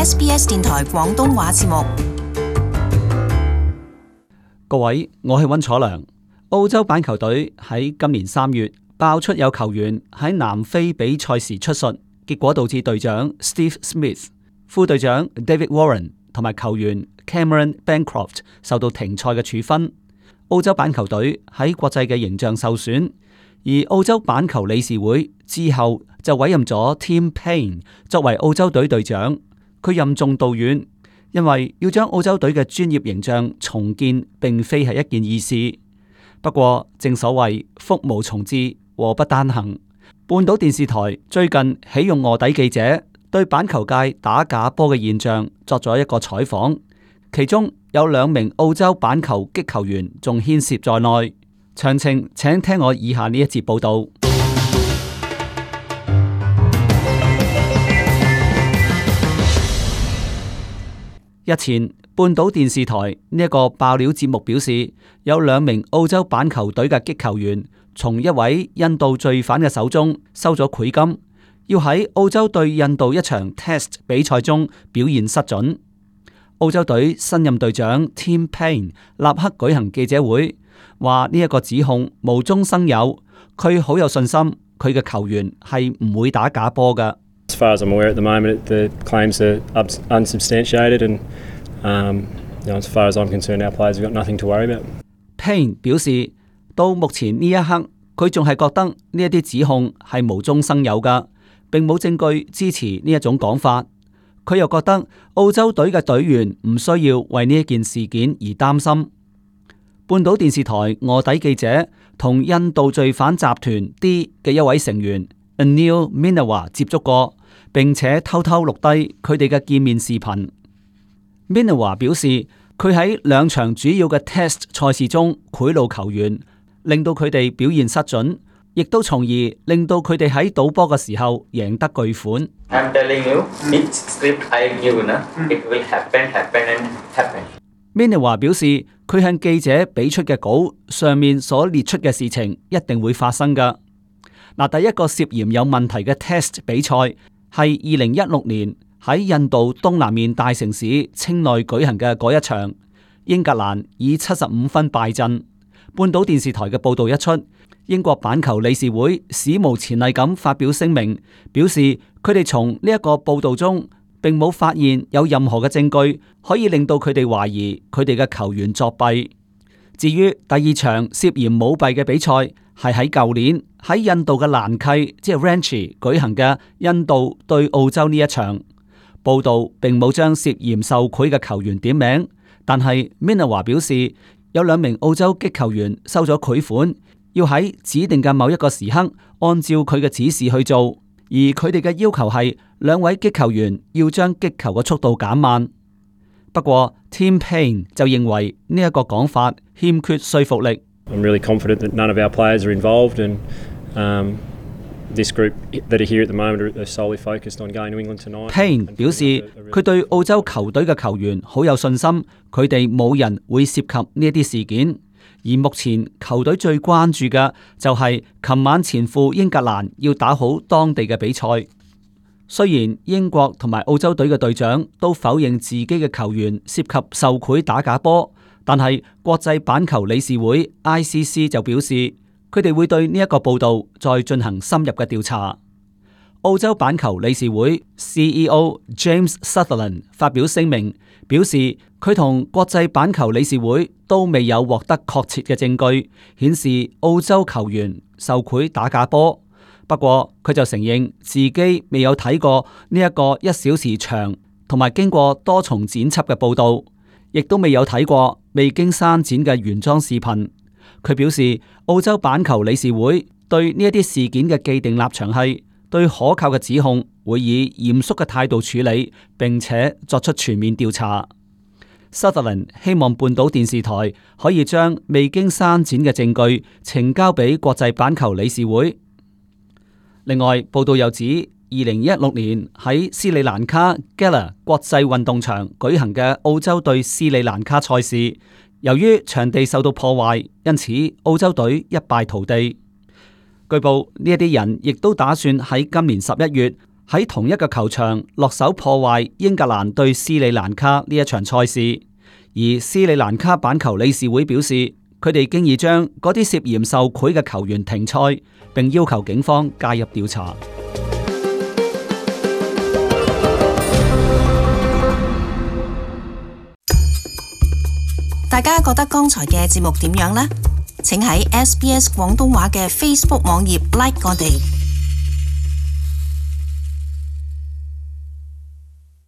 SBS 電台廣東話節目。各位，我係溫楚良。澳洲板球隊喺今年3月爆出有球員喺南非比賽時出術，結果導致隊長 Steve Smith、副隊長 David Warren 同埋球員 Cameron Bancroft 受到停賽嘅處分。澳洲板球隊喺國際嘅形象受損，而澳洲板球理事會之後就委任咗 Tim Paine 作為澳洲隊隊長。佢任重道遠，因為要將澳洲隊嘅專業形象重建，並非係一件易事。不過正所謂福無從至，禍不單行。半島電視台最近起用臥底記者對板球界打假波嘅現象作咗一個採訪，其中有2名澳洲板球擊球員仲牽涉在內。詳情請聽我以下呢一節報道。日前，半島電視台呢一個爆料節目表示，有2名澳洲板球隊嘅擊球員從一位印度罪犯嘅手中收咗賄金，要喺澳洲對印度一場 Test 比賽中表現失準。澳洲隊新任隊長 Tim Paine 立刻舉行記者會，話呢一個指控無中生有，佢好有信心，佢嘅球員係唔會打假波㗎。As far as I'm aware at the moment, the claims are unsubstantiated, and as far as I'm concerned, our players have got nothing to worry about. Paine 表示，到目前呢一刻，佢仲係覺得呢一啲指控係無中生有㗎，並冇證據支持呢一種講法。佢又覺得澳洲隊嘅隊員唔需要為呢一件事件而擔心。半島電視台臥底記者同印度罪犯集團 D 嘅一位成員 Anil Meenawar 接觸過，並且偷偷錄低佢哋嘅見面視頻。Meenawar 表示，佢喺2場主要嘅 Test 賽事中賄賂球員，令到佢哋表現失準，亦都從而令到佢哋喺賭波嘅時候贏得巨款。I'm telling you, each script I give, it will happen. Meenawar 表示，佢向記者俾出嘅稿上面所列出嘅事情一定會發生㗎。嗱，第一個涉嫌有問題嘅 Test 比賽係2016年喺印度東南面大城市清內舉行嘅嗰一場，英格蘭以75分敗陣。半島電視台嘅報道一出，英國板球理事會史無前例咁發表聲明，表示佢哋從呢一個報道中並冇發現有任何嘅證據可以令到佢哋懷疑佢哋嘅球員作弊。至於第2場涉嫌舞弊嘅比賽，係喺舊年喺印度嘅蘭契即係 Ranchi 舉行嘅印度對澳洲呢一場。報道並冇將涉嫌受賄嘅球員點名，但係 Meenawar 表示有2名澳洲擊球員收咗賄款，要喺指定嘅某一個時刻按照佢嘅指示去做，而佢哋嘅要求係2位擊球員要將擊球嘅速度減慢。不過 Tim Paine 就認為呢一個講法欠缺說服力。I'm really confident that none of our players are involved, and this group that are here at the moment are solely focused on going to England tonight. Paine 表示佢對澳洲球隊嘅球員好有信心，佢哋冇人會涉及呢一啲事件。而目前球隊最關注嘅就係琴晚前赴英格蘭要打好當地嘅比賽。雖然英國同埋澳洲隊嘅隊長都否認自己嘅球員涉及受賄打假波，但係國際板球理事會 ICC 就表示，佢哋會對呢一個報道再進行深入嘅調查。澳洲板球理事會 CEO James Sutherland 發表聲明，表示佢同國際板球理事會都未有獲得確切嘅證據，顯示澳洲球員受賄打假波。不過佢就承認自己未有睇過呢一個1小時長同埋經過多重剪輯嘅報道，亦都未有睇過未經刪剪嘅原裝視頻。佢表示，澳洲板球理事會對呢一啲事件嘅既定立場係對可靠嘅指控會以嚴肅嘅態度處理，並且作出全面調查。Sutherland 希望半島電視台可以將未經刪剪嘅證據呈交俾國際板球理事會。另外，報道又指2016年喺斯里蘭卡 Gala 國際運動場舉行嘅澳洲對斯里蘭卡賽事，由於場地受到破壞，因此澳洲隊一敗塗地。據報呢一啲人亦都打算喺今年11月喺同一個球場落手破壞英格蘭對斯里蘭卡呢一場賽事，而斯里蘭卡板球理事會表示，佢哋經已將嗰啲涉嫌受賄嘅球員停賽，並要求警方介入調查。大家覺得剛才嘅節目點樣呢？請喺SBS 廣東話嘅 Facebook 網頁 like 我哋。